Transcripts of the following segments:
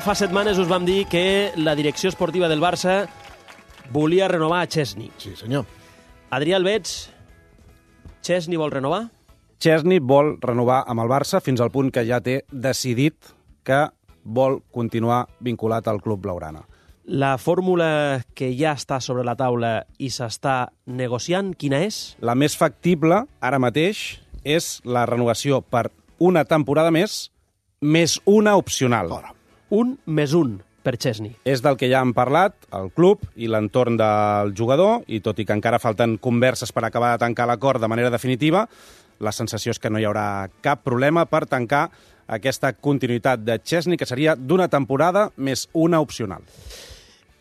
Fa setmanes us vam dir que la direcció esportiva del Barça volia renovar a Chesney. Sí, senyor. Adrià Albets, Chesney vol renovar? Chesney vol renovar amb el Barça fins al punt que ja té decidit que vol continuar vinculat al club blaugrana. La fórmula que ja està sobre la taula i s'està negociant, quina és? La més factible, ara mateix, és la renovació per una temporada més una opcional. Un més un per Chesney. És del que ja han parlat el club i l'entorn del jugador, i tot i que encara falten converses per acabar de tancar l'acord de manera definitiva, la sensació és que no hi haurà cap problema per tancar aquesta continuïtat de Chesney, que seria d'una temporada més una opcional.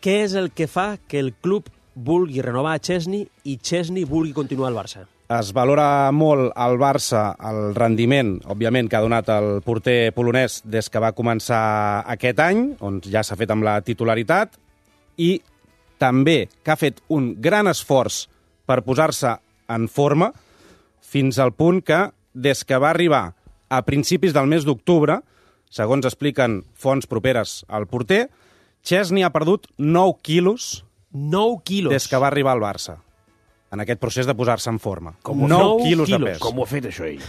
Què és el que fa que el club vulgui renovar a Chesney i Chesney vulgui continuar al Barça? Es valora molt al Barça el rendiment, òbviament, que ha donat el porter polonès des que va començar aquest any, on ja s'ha fet amb la titularitat, i també que ha fet un gran esforç per posar-se en forma, fins al punt que, des que va arribar a principis del mes d'octubre, segons expliquen fonts properes al porter, Chesney ha perdut 9 quilos 9 quilos. des que va arribar al Barça, en aquest procés de posar-se en forma. 9 quilos de pes. Com ho ha fet, això, ell?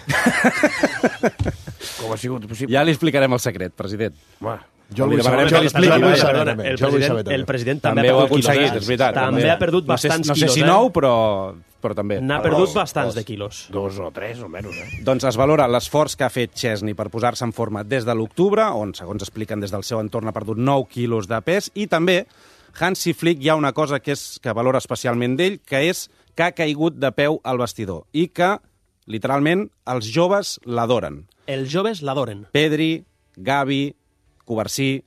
Com ha sigut possible? Ja li explicarem el secret, president. Home, Jo li demanarem que li expliqui. El president també ha ho ha perdut quilos. aconseguit, és veritat. També ha perdut bastants no sé quilos. si 9, però també. N'ha perdut bastants de quilos. 2 o 3, o menys, Doncs es valora l'esforç que ha fet Chesney per posar-se en forma des de l'octubre, on, segons expliquen des del seu entorn, ha perdut 9 quilos de pes, i també Hansi Flick hi ha una cosa que valora especialment d'ell, que és que ha caigut de peu al vestidor i que, literalment, els joves l'adoren. Els joves l'adoren. Pedri, Gavi, Covarsí,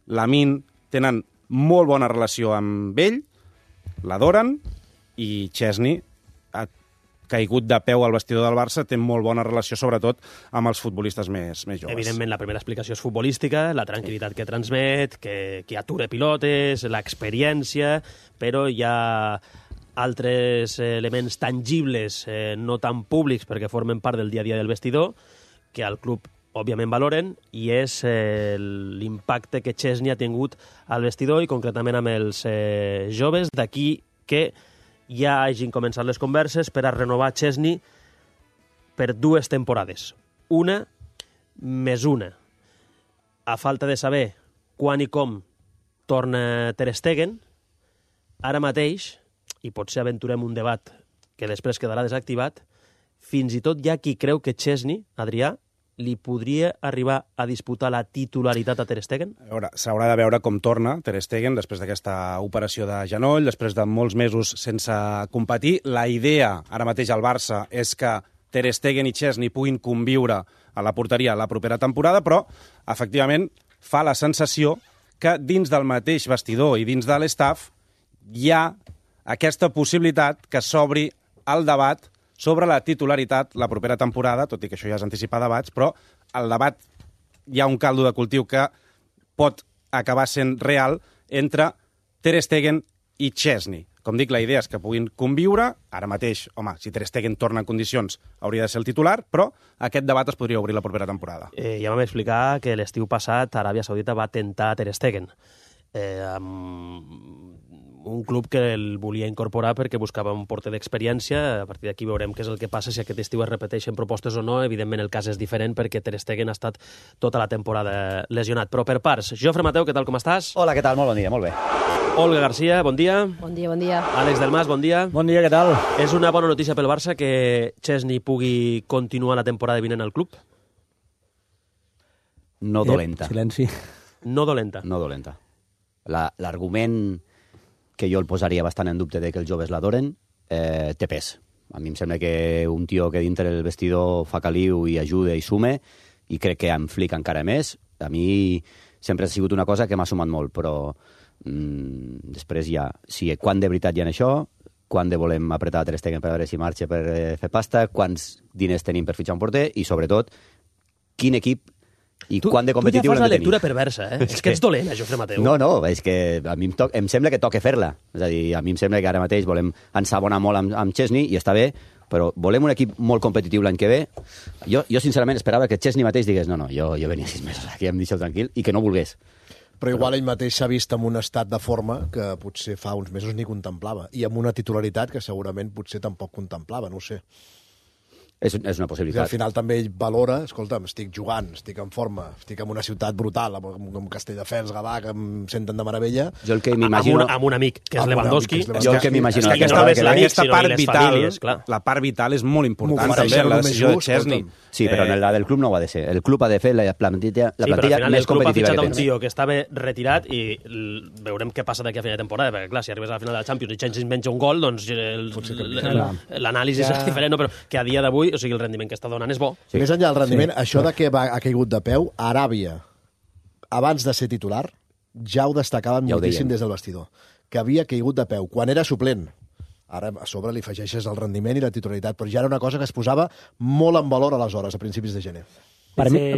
Lamine tenen molt bona relació amb ell, l'adoren, i Chesney ha caigut de peu al vestidor del Barça, té molt bona relació, sobretot, amb els futbolistes més joves. Evidentment, la primera explicació és futbolística, la tranquil·litat que transmet, que atura pilotes, l'experiència, però hi ha altres elements tangibles, no tan públics, perquè formen part del dia a dia del vestidor, que al club òbviament valoren, i és l'impacte que Chesney ha tingut al vestidor i concretament amb els joves. D'aquí que ja hagin començat les converses per a renovar Chesney per 2 temporades. Una més una. A falta de saber quan i com torna Ter Stegen, ara mateix, i potser aventurem un debat que després quedarà desactivat, fins i tot hi ha qui creu que Chesney, Adrià, li podria arribar a disputar la titularitat a Ter Stegen? S'haurà de veure com torna Ter Stegen després d'aquesta operació de genoll, després de molts mesos sense competir. La idea, ara mateix al Barça, és que Ter Stegen i Chesney puguin conviure a la porteria la propera temporada, però, efectivament, fa la sensació que dins del mateix vestidor i dins de l'estaf hi ha aquesta possibilitat que s'obri el debat sobre la titularitat la propera temporada, tot i que això ja és anticipar debats, però el debat hi ha un caldo de cultiu que pot acabar sent real entre Ter Stegen i Chesney. Com dic, la idea és que puguin conviure. Ara mateix, home, si Ter Stegen torna en condicions, hauria de ser el titular, però aquest debat es podria obrir la propera temporada. Ja vam explicar que l'estiu passat Aràbia Saudita va tentar Ter Stegen. Amb un club que el volia incorporar perquè buscava un porter d'experiència. A partir d'aquí veurem què és el que passa, si aquest estiu es repeteixen propostes o no. Evidentment el cas és diferent perquè Ter Stegen ha estat tota la temporada lesionat. Però per parts, Jofre Mateu, què tal, com estàs? Hola, què tal? Molt bon dia, molt bé. Olga Garcia, bon dia. Bon dia, bon dia. Àlex Delmas, bon dia. Bon dia, què tal? És una bona notícia pel Barça que Chesney pugui continuar la temporada vinent al club? No dolenta. Silenci. No dolenta. No dolenta. L'argument que jo el posaria bastant en dubte de que els joves l'adoren, té pes. A mi em sembla que un tio que dintre el vestidor fa caliu i ajuda i sume, i crec que amb Flick encara més. A mi sempre ha sigut una cosa que m'ha sumat molt, però després ja, quan de veritat hi ha això, quan de volem apretar Ter Stegen per veure si marxa per fer pasta, quants diners tenim per fitxar un porter, i sobretot, quin equip i quan de competitiu tu ja fas la l'hem de tenir. lectura perversa, eh? És que ets dolent, Jofre Mateu. No, és que a mi em sembla que toca fer-la. És a dir, a mi em sembla que ara mateix volem ensabonar molt amb Chesney, i està bé, però volem un equip molt competitiu l'any que ve. Jo sincerament esperava que Chesney mateix digués no, jo venia 6 mesos aquí, em deixeu tranquil, i que no volgués. Però igual ell mateix s'ha vist en un estat de forma que potser fa uns mesos ni contemplava, i amb una titularitat que segurament potser tampoc contemplava, no ho sé. És una I al possibilitat. final també ell valora, escolta'm, estic jugant, estic en forma, estic en una ciutat brutal, amb Castelldefels, Gavà, que em senten de meravella. Jo el que m'imagino... Amb un amic, que és Amb un Lewandowski. amic, que és Jo el que m'imagino... És que aquesta- no només l'amic, Aquesta sinó part les vital, famílies, clar. la part vital és molt important M'ho també ofereixen en la només decisió de just, Chesney. escolta'm. Sí, però en la del club no ho ha de ser. El club ha de fer la plantilla, Sí, però al final més el club ha competitiva fitxat que un tens. tio que estava retirat i veurem què passa d'aquí a final de temporada, perquè clar, si arribes a la final de la Champions i Chelsea menja un gol, doncs l'anàlisi és diferent, no? Però que a dia d'avui, o sigui, el rendiment que està donant és bo. Sí. Més enllà del rendiment, això de que ha caigut de peu, a Aràbia, abans de ser titular, ja ho destacaven Ja ho moltíssim deien. des del vestidor, que havia caigut de peu, quan era suplent. Ara a sobre li afegeixes el rendiment i la titularitat, però ja era una cosa que es posava molt en valor aleshores, a principis de gener.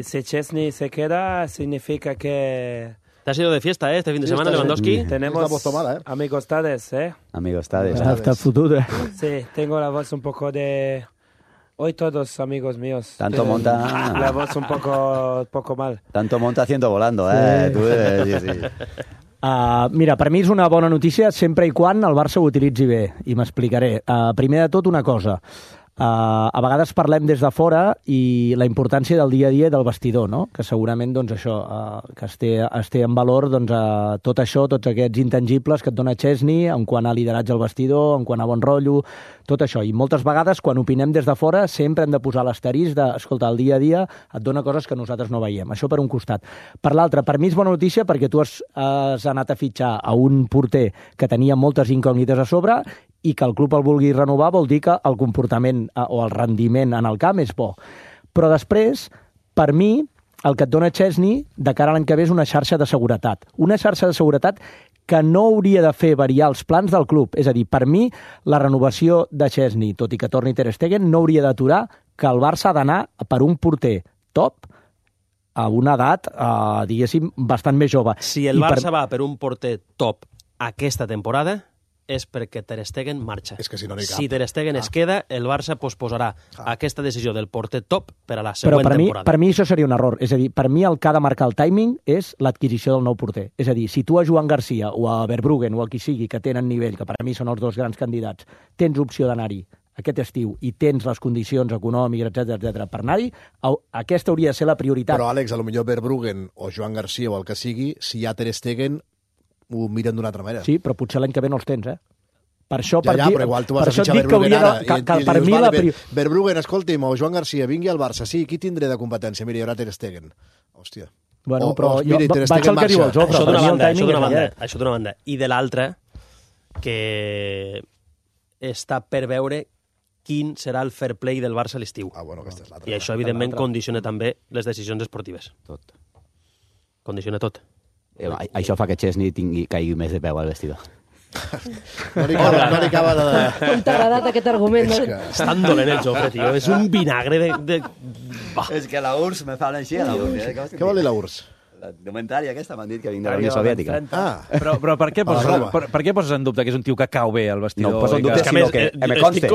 Si Chesney se queda, significa que Te has ido de fiesta, este fin de Sí, semana, está Lewandowski. Es tenemos la voz tomada, amigostades, Amigostades. Hasta el futuro. Sí, tengo la voz un poco de... Hoy todos amigos míos. Tanto Tienen monta... La voz un poco mal. Tanto monta haciendo volando, Tu, sí. Mira, per mi és una bona notícia sempre i quan el Barça ho utilitzi bé, i m'explicaré. Primer de tot, una cosa. A vegades parlem des de fora i la importància del dia a dia del vestidor, no? Que segurament doncs, això, que es té en valor doncs, tot això, tots aquests intangibles que et dona Chesney en quant a lideratge al vestidor, en quant a bon rotllo, tot això. I moltes vegades, quan opinem des de fora, sempre hem de posar l'asterisc de, escolta, el dia a dia et dona coses que nosaltres no veiem. Això per un costat. Per l'altre, per mi és bona notícia perquè tu has anat a fitxar a un porter que tenia moltes incògnites a sobre i que el club el vulgui renovar vol dir que el comportament o el rendiment en el camp és bo. Però després, per mi, el que et dona Chesney de cara a l'any que ve és una xarxa de seguretat. Una xarxa de seguretat que no hauria de fer variar els plans del club. És a dir, per mi, la renovació de Chesney, tot i que torni Ter Stegen, no hauria d'aturar que el Barça ha d'anar per un porter top a una edat, diguéssim, bastant més jove. Si el Barça va per un porter top aquesta temporada, és perquè Ter Stegen marxa. És que si no n'hi cap. Si Ter Stegen es queda, el Barça posposarà aquesta decisió del porter top per a la Però següent temporada. per mi això seria un error. És a dir, per mi el que ha de marcar el timing és l'adquisició del nou porter. És a dir, si tu a Joan Garcia o a Verbruggen o a qui sigui que tenen nivell, que per a mi són els dos grans candidats, tens opció d'anar-hi aquest estiu i tens les condicions econòmiques, etc per anar-hi, aquesta hauria de ser la prioritat. Però, Àlex, a lo millor Verbruggen o Joan Garcia o el que sigui, si hi ha Ter Stegen, ho miren d'una altra manera. Sí, però potser l'any que ve no els tens, Per això, Ja, però igual tu vas a fitxar dic que Verbruggen hauria ara de, que i per dius, mi vale, Verbruggen, escolti'm, o Joan Garcia, vingui al Barça, sí, qui tindré de competència? Mira, hi haurà Ter Stegen. Hòstia. Bueno, però mira, jo Ter vaig Stegen al que diu el marxa. Jofre. Això Per d'una mi el banda, timing és aquest. això d'una banda. I de l'altra, que està per veure quin serà el fair play del Barça a l'estiu. Bueno, aquesta és l'altra. I això, evidentment, condiciona també les decisions esportives. Tot. Condiciona tot. Això fa que Chesney caigui més de peu al vestidor. No li acaba de... Com t'ha agradat aquest argument? És No? que... És tan dolent el Jofre, tio. És un vinagre de... És que la URSS me fan així a la URSS. Què vol dir la URSS? La indumentària aquesta m'han dit que vinc de la Unió Soviètica. Però per què poses, A la roba. per què poses en dubte que és un tio que cau bé al vestidor? No, poso en i que- dubte, És que, a sinó més, que me conste.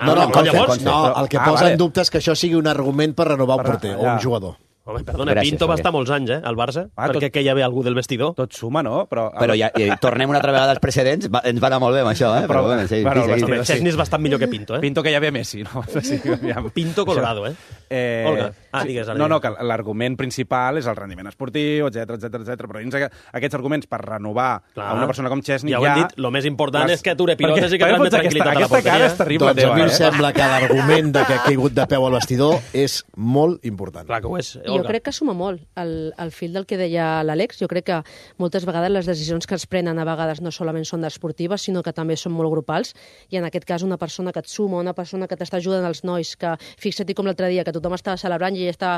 No, llavors... no, el que posa vale. en dubte és que això sigui un argument per renovar un porter o ja. un jugador. Home, perdona, Gràcies, Pinto va Javier. estar molts anys, al Barça, tot- perquè que hi havia algú del vestidor. Tot suma, no? Però Però ja tornem una altra vegada als precedents. Ens va anar molt bé amb això, Però, bueno, sí, bueno, sí, el sí. vestidor- Chesney és bastant millor que Pinto, Pinto que hi havia Messi, no? Sí, aviam. Pinto Colorado, Olga. Digues, ara. No, que l'argument principal és el rendiment esportiu, etc. Però dins aquests arguments per renovar a una persona com Chesney ja ho hem dit, el més important és que ature pilotes i que transmet tranquil·litat a la Aquesta cara és porteria. terrible Doncs a teva, mi em sembla que l'argument de que ha caigut de peu al vestidor és molt important. Clar que ho és, Jo Olga. crec que suma molt el fil del que deia l'Àlex. Jo crec que moltes vegades les decisions que es prenen a vegades no solament són esportives, sinó que també són molt grupals. I en aquest cas una persona que et suma, una persona que t'està ajudant als nois, que fixa't com l'altre dia, que tothom estava celebrant i ell està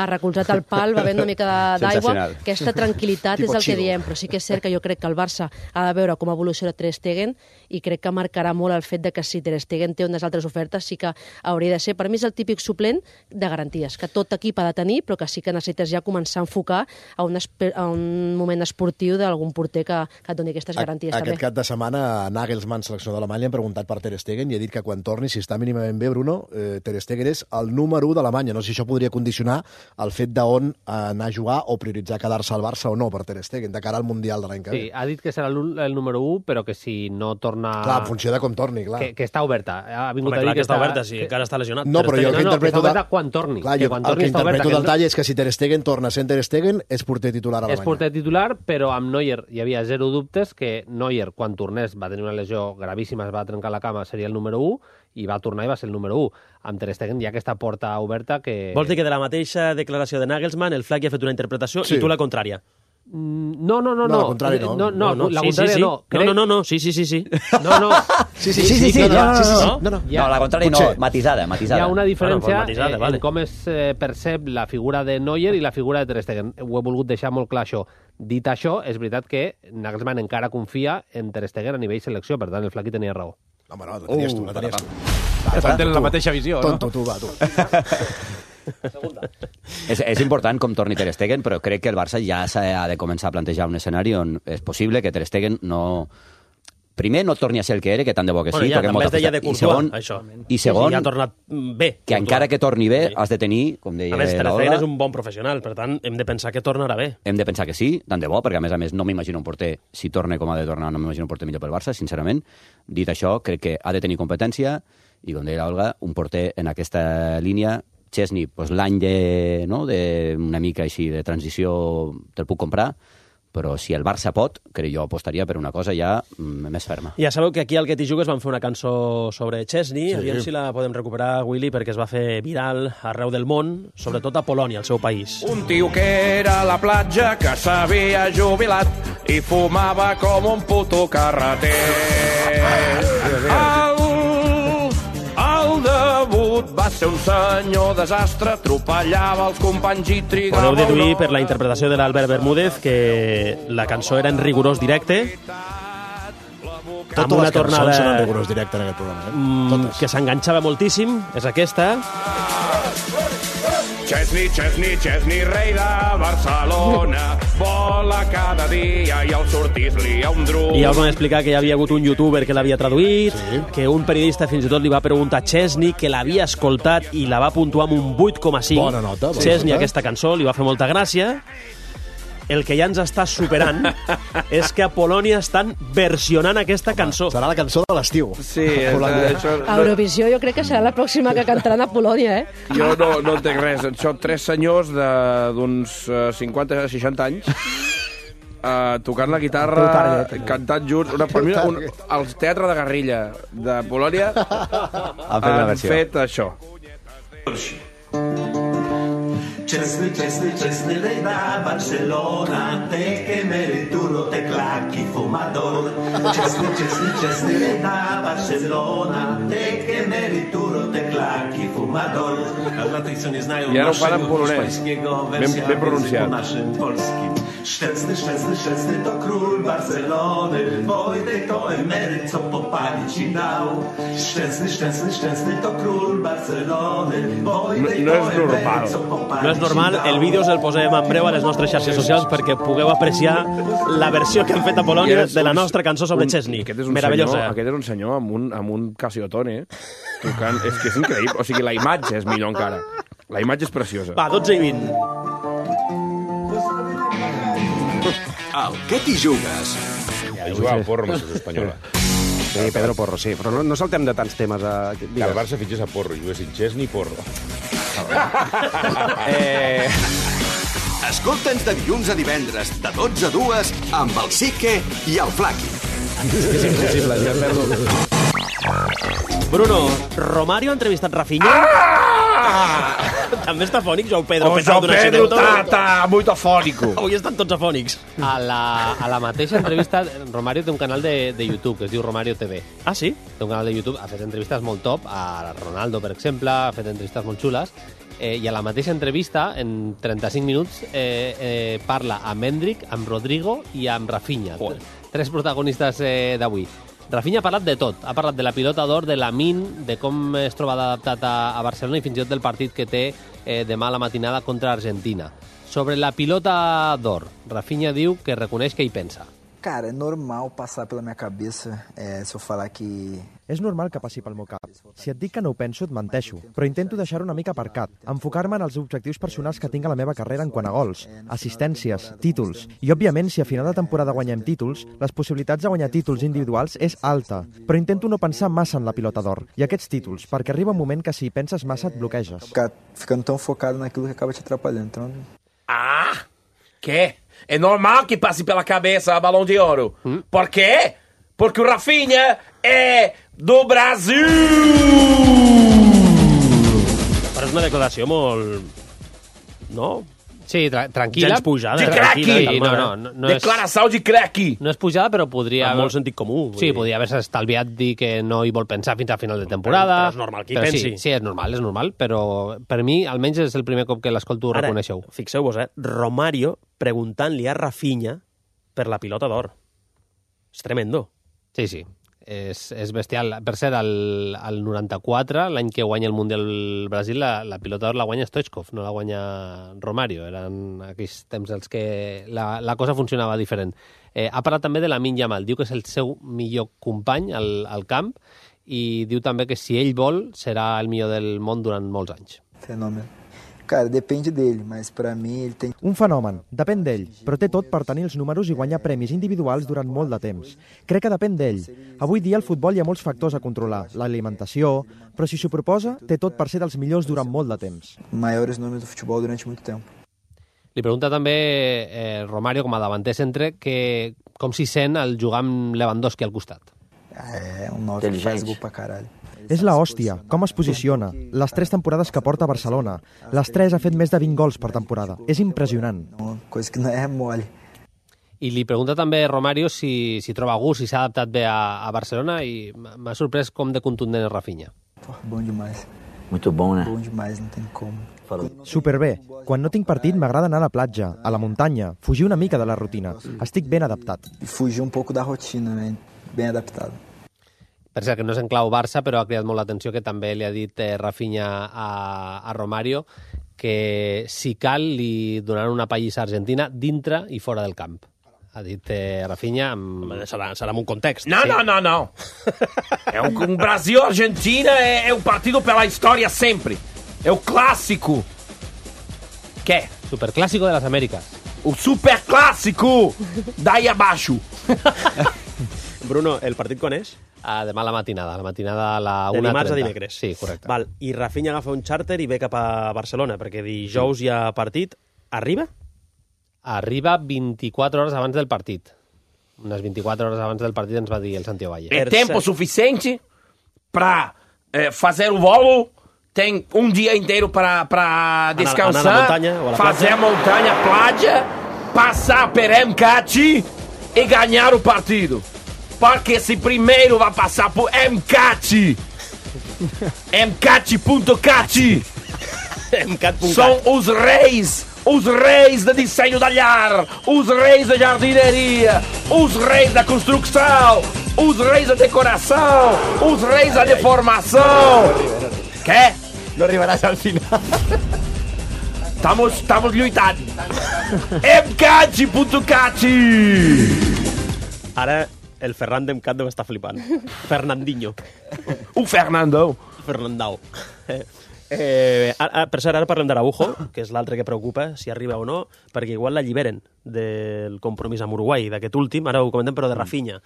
recolzat al pal, bevent una mica d'aigua. Sensacional. Aquesta tranquil·litat Tipo és el que chill. diem, però sí que és cert que jo crec que el Barça ha de veure com evoluciona Ter Stegen i crec que marcarà molt el fet de que si Ter Stegen té unes altres ofertes sí que hauria de ser. Per mi és el típic suplent de garanties, que tot equip ha de tenir, però que sí que necessites ja començar a enfocar a un moment esportiu d'algun porter que et doni aquestes garanties. Aquest cap de setmana, Nagelsmann, seleccionador d'Alemanya, han preguntat per Ter Stegen i ha dit que quan torni, si està mínimament bé, Bruno, Ter Stegen és el número 1 d'Alemanya. No sé si això podria condicionar el fet d'on anar a jugar o prioritzar quedar-se al Barça o no per Ter Stegen, de cara al Mundial de l'any que ve. Sí, ha dit que serà el número 1, però que si no torna... Clar, en funció de com torni, clar. Que està oberta. Ha vingut Home, a dir clar, que està oberta, si encara està lesionat. No, però jo el que interpreto... que està oberta quan torni. Clar, jo el que interpreto del tall és que si Ter Stegen torna sent Ter Stegen, és porter titular a Alemanya. És porter titular, però amb Neuer hi havia zero dubtes que Neuer, quan tornés, va tenir una lesió gravíssima, es va trencar la cama, seria el número 1, i va tornar i va ser el número 1. Amb Ter Stegen hi ha aquesta porta oberta que... Vols dir que de la mateixa declaració de Nagelsmann el Flaky ha fet una interpretació i tu la contrària? No. No, la contrària no. No, la contrària no. No, sí. No. No, la contrària no, matisada. Hi ha una diferència matisada, en com es percep la figura de Neuer i la figura de Ter Stegen. Ho he volgut deixar molt clar, això. Dit això, és veritat que Nagelsmann encara confia en Ter Stegen a nivell selecció, per tant, el Flaky tenia raó. Home, no, la tenies tu. Tenen la mateixa visió, no? Tonto, tu, va, tu. És important com torni Ter Stegen, però crec que el Barça ja s'ha de començar a plantejar un escenari on és possible que Ter Stegen no... Primer, no torni a ser el que era, que tant de bo que sí. Ja, també es deia de Courtois, això. I segon, ja ha tornat bé. Que encara que torni bé, has de tenir, com deia a més, Ter l'Olga... Stegen és un bon professional, per tant, hem de pensar que tornarà bé. Hem de pensar que sí, tant de bo, perquè a més, no m'imagino un porter, si torna com ha de tornar, no m'imagino un porter millor pel Barça, sincerament. Dit això, crec que ha de tenir competència, i com deia l'Olga, un porter en aquesta línia... Chesney, doncs l'any d'una mica així de transició te'l puc comprar, però si el Barça pot, crec jo apostaria per una cosa ja més ferma. Ja sabeu que aquí al Que t'hi jugues van fer una cançó sobre Chesney, aviam si la podem recuperar, Willy, perquè es va fer viral arreu del món, sobretot a Polònia, el seu país. Un tio que era a la platja, que s'havia jubilat i fumava com un puto carreter. El debut va ser un senyor desastre, atropellava els companys i trigava... Podeu deduir per la interpretació de l'Albert Bermúdez que la cançó era en rigorós directe. Totes les cançons són en rigorós directe en aquest programa. Que s'enganxava moltíssim, és aquesta. Chesney, rei de Barcelona, vola cada dia i al sortís li ha un drum. I ja us vam explicar que hi havia hagut un youtuber que l'havia traduït, que un periodista fins i tot li va preguntar a Chesney, que l'havia escoltat i la va puntuar amb un 8,5. Bona nota. Chesney, aquesta cançó, li va fer molta gràcia. El que ja ens està superant és que a Polònia estan versionant aquesta cançó. Serà la cançó de l'estiu. Sí, Eurovisió jo crec que serà la pròxima que cantaran a Polònia, Jo no entenc res. Són tres senyors d'uns 50-60 anys tocant la guitarra, cantant junts. Per mi, el teatre de guerrilla de Polònia han fet això. Chesney, rei de Barcelona, té que merituro, té claqui fumador. Chesney, rei de Barcelona, té que merituro, té claqui fumador. I ara ho fan en polonès, ben pronunciat. Szczęsny to król Barcelony, Wojtek to emeryt, co popalić i dał. Szczęsny to król Barcelony, Wojtek to emeryt, co popalić. No és normal, el vídeo el posem en breu a les nostres xarxes socials perquè pugueu apreciar la versió que han fet a Polònia de la nostra cançó sobre Chesney. Meravellosa. Aquest és un senyor amb un Casiotone tocant. És que és increïble. O sigui, la imatge és millor encara. La imatge és preciosa. Va, 12:20. Al Que t'hi jugues? Ja, jugar al Porro amb la selecció espanyola. Sí, Pedro Porro, sí. Però no saltem de tants temes. Que el Barça fitxés a Porro, juguessin Chesney i Porro. Escolta'ns de dilluns a divendres, de 12 a 2, amb el Sique i el Flaky. És impossible, ja perdo. Bruno, Romario ha entrevistat Rafinha? També està afònic, Joao Pedro. Joao Pedro está muy afónico. Avui estan tots afònics. A la mateixa entrevista, Romario té un canal de YouTube que es diu Romario TV. Ah, sí? Té un canal de YouTube, ha fet entrevistes molt top, a Ronaldo, per exemple, ha fet entrevistes molt xules, i a la mateixa entrevista, en 35 minuts, parla amb Endrick, amb Rodrigo i amb Rafinha. Tres protagonistes d'avui. Rafinha ha parlat de tot. Ha parlat de la pilota d'or, de l'Amin, de com es troba adaptat a Barcelona i fins i tot del partit que té demà a la matinada contra Argentina. Sobre la pilota d'or, Rafinha diu que reconeix que hi pensa. Cara, é normal passar pela minha cabeça se eu falar que... És normal que passi pel meu cap. Si et dic que no ho penso, et menteixo, però intento deixar-ho una mica aparcat, enfocar-me en els objectius personals que tinc a la meva carrera en quant a gols, assistències, títols. I, òbviament, si a final de temporada guanyem títols, les possibilitats de guanyar títols individuals és alta, però intento no pensar massa en la pilota d'or i aquests títols, perquè arriba un moment que si hi penses massa et bloqueges. Ficando tão focado naquilo que acaba te atrapalhando, então... Ah, ¿qué? É normal que passe pela cabeça a Balão de Ouro. Por quê? Porque o Rafinha é do Brasil! Però és una declaració molt... No? Sí, tranquil·la. Gens pujada. Sí, cracky! No Declaració de cracky! No és pujada, però podria... Amb molt sentit comú. Sí, podria haver-se estalviat dir que no hi vol pensar fins a final de temporada. Però és normal que hi pensi. Sí, és normal, però per mi, almenys és el primer cop que l'escolto reconeixeu. Fixeu-vos, Romario preguntant-li a Rafinha per la pilota d'or. És tremendo. Sí. És bestial. Per cert, al 94, l'any que guanya el Mundial Brasil, la pilota d'or la guanya Stoichkov, no la guanya Romario. Eren aquells temps els que la cosa funcionava diferent. Ha parlat també de Lamine Yamal. Diu que és el seu millor company al camp i diu també que si ell vol serà el millor del món durant molts anys. Fenômeno. Cara, depende dele, mas pra mi ele tem... Un fenomen, depèn d'ell, però té tot per tenir els números i guanyar premis individuals durant molt de temps. Crec que depèn d'ell. Avui dia al futbol hi ha molts factors a controlar, l'alimentació, però si s'ho proposa, té tot per ser dels millors durant molt de temps. Maiores números do futebol durante muito tempo. Li pregunta també Romario, com a davanter centre, que com s'hi sent el jugar amb Lewandowski al costat. Un 9 que faz gol pra caralho. És la hòstia, com es posiciona, les 3 temporades que porta a Barcelona. Les 3 ha fet més de 20 gols per temporada. És impressionant. Cosa que no és mole. I li pregunta també Romario si troba gust, si s'ha adaptat bé a Barcelona, i m'ha sorprès com de contundent és Rafinha. Bon demais. Muito bom, né? Bon demais, no tem como. Superbé. Quan no tinc partit m'agrada anar a la platja, a la muntanya, fugir una mica de la rutina. Estic ben adaptat. Fugir un poco da rotina, ben adaptado. Per cert, que no és en clau Barça, però ha cridat molt l'atenció que també li ha dit Rafinha a Romario que si cal li donaran una pallissa a Argentina dintre i fora del camp. Ha dit Rafinha... Serà en un context. No. É um Brasil-Argentina é um partido pela história sempre. É o clássico. Què? Superclásico de las Américas. O superclássico! Daí abaixo. Bruno, el partit quan és? Demà a la matinada a la 1:30. De dimarts a dimecres. Sí, correcte. Val. I Rafinha agafa un xàrter i ve cap a Barcelona, perquè dijous hi ha partit. Arriba? Arriba 24 hores abans del partit. Unes 24 hores abans del partit ens va dir el Santiago Valle. É tempo suficiente para fazer o volo. Tem dia inteiro para descansar, anar a la muntanya, ou a la fazer a montanha, platja, passar per MCAT e ganhar o partido. Porque se primeiro vai passar por MCAT. MCAT.cat. São os reis de desenho da lar, os reis da jardineria, os reis da construção, os reis da decoração, os reis da deformação. Què? No arribaràs al final. Estamos lluitant. MCAT.cat. Ara el Ferran d'Emcat deu estar flipant. Fernandinho. Un Fernandao. Per cert, ara parlem d'Araujo, que és l'altre que preocupa, si arriba o no, perquè igual l'alliberen del compromís amb Uruguai, d'aquest últim, ara ho comentem, però de Rafinha.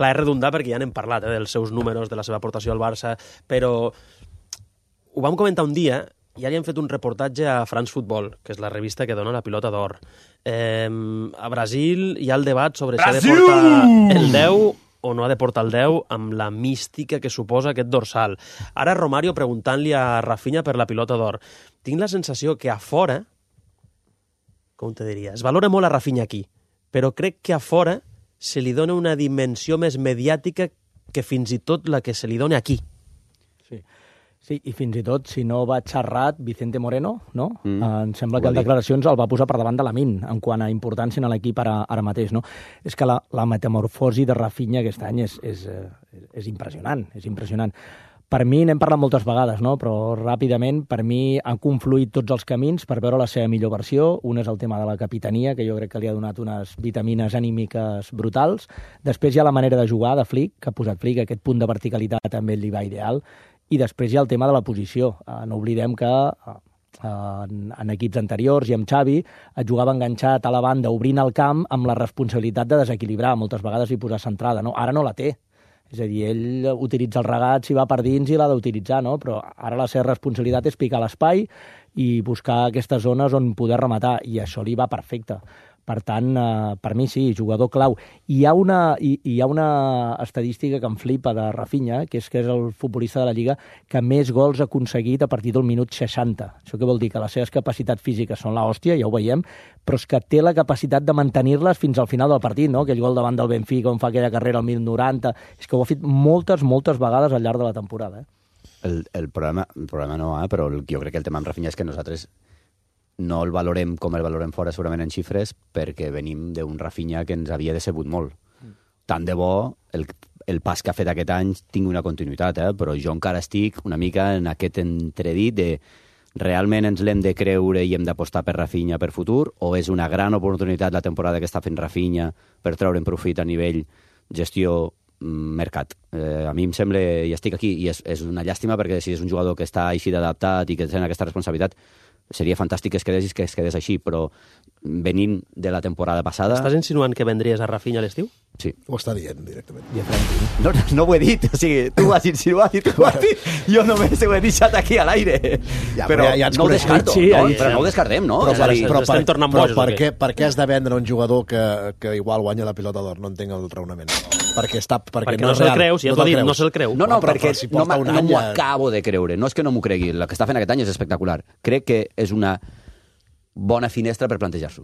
Clar, és redundar perquè ja n'hem parlat, dels seus números, de la seva aportació al Barça, però ho vam comentar un dia, i ara hi hem fet un reportatge a France Football, que és la revista que dona la pilota d'or. A Brasil hi ha el debat sobre si ha de portar el 10 o no ha de portar el 10 amb la mística que suposa aquest dorsal. Ara Romario preguntant-li a Rafinha per la pilota d'or. Tinc la sensació que a fora, com te diria, es valora molt a Rafinha aquí, però crec que a fora se li dona una dimensió més mediàtica que fins i tot la que se li dona aquí. Sí. Sí, i fins i tot, si no va xerrat, Vicente Moreno, no? Em sembla que en declaracions el va posar per davant de Lamine, en quant a importància en l'equip ara mateix, no? És que la metamorfosi de Rafinha aquest any és impressionant, és impressionant. Per mi, n'hem parlat moltes vegades, no? Però ràpidament, per mi, han confluït tots els camins per veure la seva millor versió. Un és el tema de la capitania, que jo crec que li ha donat unes vitamines anímiques brutals. Després hi ha la manera de jugar de Flick, que ha posat Flick, aquest punt de verticalitat també li va ideal. I després hi ha el tema de la posició. No oblidem que en equips anteriors i amb Xavi et jugava enganxat a la banda, obrint el camp amb la responsabilitat de desequilibrar, moltes vegades i posar centrada. No? Ara no la té. És a dir, ell utilitza el regat si va per dins i l'ha d'utilitzar, no? Però ara la seva responsabilitat és picar l'espai i buscar aquestes zones on poder rematar, i això li va perfecte. Per tant, per mi sí, jugador clau. Hi ha una estadística que em flipa de Rafinha, que és el futbolista de la Lliga que més gols ha aconseguit a partir del minut 60. Això què vol dir? Que les seves capacitats físiques són l'hòstia, ja ho veiem, però és que té la capacitat de mantenir-les fins al final del partit, no? Aquell gol davant del Benfica on fa aquella carrera al 1090, és que ho ha fet moltes vegades al llarg de la temporada. El problema no, però jo crec que el tema amb Rafinha és que nosaltres no el valorem com el valorem fora, segurament en xifres, perquè venim d'un Rafinha que ens havia decebut molt. Tant de bo el pas que ha fet aquest any tingui una continuïtat, però jo encara estic una mica en aquest entredit de realment ens l'hem de creure i hem d'apostar per Rafinha per futur, o és una gran oportunitat la temporada que està fent Rafinha per treure'n profit a nivell gestió mercat. A mi em sembla, i estic aquí, i és una llàstima perquè si és un jugador que està així d'adaptat i que té aquesta responsabilitat, seria fantàstic que es quedés així, però venint de la temporada passada... Estàs insinuant que vendries a Rafinha a l'estiu? Sí. Ho està dient directament. No ho he dit, o sigui, tu ho has insinuat i tu ho has dit. Jo només ho he deixat aquí a l'aire. Però ja no ho descarto, però no ho descartem, no? Però per què has de vendre un jugador que igual guanya la pilota d'or? No entenc el raonament. Perquè no se'l creu, si ja t'ho ha dit, no se'l creu. No, perquè no m'ho acabo de creure. No és que no m'ho cregui, el que està fent aquest any és espectacular. Crec que és una bona finestra per plantejar-s'ho.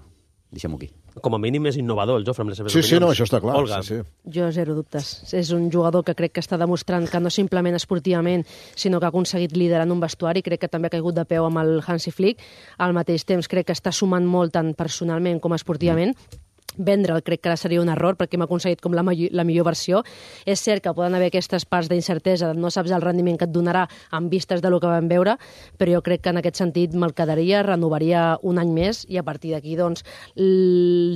Deixem-ho aquí. Com a mínim és innovador el Jofre amb les seves opinions. Sí, no, això està clar. Olga. Sí. Jo zero dubtes. És un jugador que crec que està demostrant que no simplement esportivament, sinó que ha aconseguit liderar en un vestuari. Crec que també ha caigut de peu amb el Hansi Flick. Al mateix temps crec que està sumant molt tant personalment com esportivament. Vendre'l crec que ara seria un error perquè hem aconseguit com la millor versió. És cert que poden haver aquestes parts d'incertesa, no saps el rendiment que et donarà en vistes de lo que vam veure, però jo crec que en aquest sentit me'l quedaria, renovaria un any més i a partir d'aquí doncs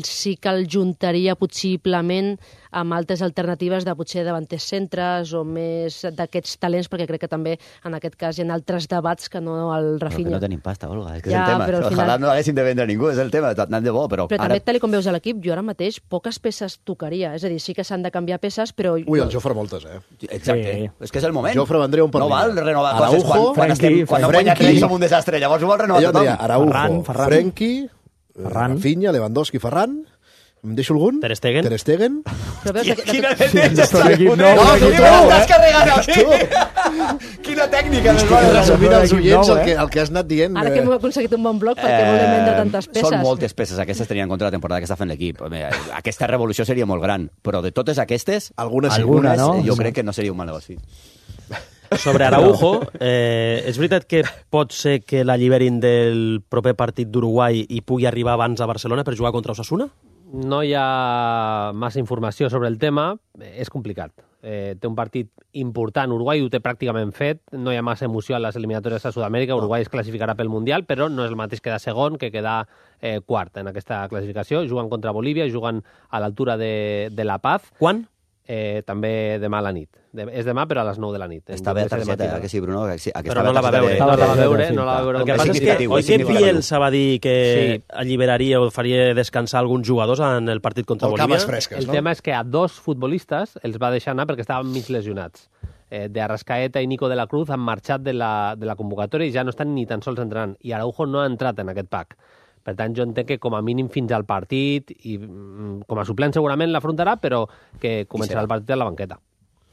sí que el juntaria possiblement amb altres alternatives de potser davanters centres o més d'aquests talents, perquè crec que també en aquest cas hi ha altres debats que no el Rafinha. Però que no tenim pasta, Olga, és que és el tema. Ojalà no haguéssim de vendre ningú, és el tema, anant de bo, però ara... també, tal com veus a l'equip, jo ara mateix poques peces tocaria, és a dir, sí que s'han de canviar peces, però... Ui, el Jofre moltes, Exacte, és que és el moment. Jofre vendria un per no val renovar coses quan no guanya 3 som un desastre, llavors ho vol renovar tothom. Araujo, Frenkie, Rafinha, Lewandowski, Ferran... Em deixo algun? Ter Stegen. Però veus Quina tècnica t'has carregat aquí! Quina tècnica! Resumint als oients el que has anat dient. Ara que hem aconseguit un bon bloc, perquè volem vendre tantes peces. Són moltes peces, aquestes tenien en compte la temporada que està fent l'equip. Aquesta revolució seria molt gran, però de totes aquestes, algunes jo crec que no seria un mal negoci. Sobre Araujo, és veritat que pot ser que l'alliberin del proper partit d'Uruguai i pugui arribar abans a Barcelona per jugar contra Osasuna? No hi ha massa informació sobre el tema, és complicat. Té un partit important, Uruguai ho té pràcticament fet, no hi ha massa emoció a les eliminatòries a Sud-amèrica, Uruguai es classificarà pel Mundial, però no és el mateix quedar segon que quedar quart en aquesta classificació. Juguen contra Bolívia, juguen a l'altura de La Paz. Quan? També demà a la nit. És demà, però a les 9 de la nit. Està bé la targeta, que sí, Bruno? Però no la va veure. No la va veure. El que passa és que oi que Bielsa va dir que alliberaria o faria descansar alguns jugadors en el partit contra Bolívia? El tema és que a 2 futbolistes els va deixar anar perquè estaven mig lesionats. De Arrascaeta i Nico de la Cruz han marxat de la convocatòria i ja no estan ni tan sols entrenant. I Araujo no ha entrat en aquest pack. Per tant, jo entenc que com a mínim fins al partit, i com a suplent segurament l'afrontarà, però que començarà el partit a la banqueta.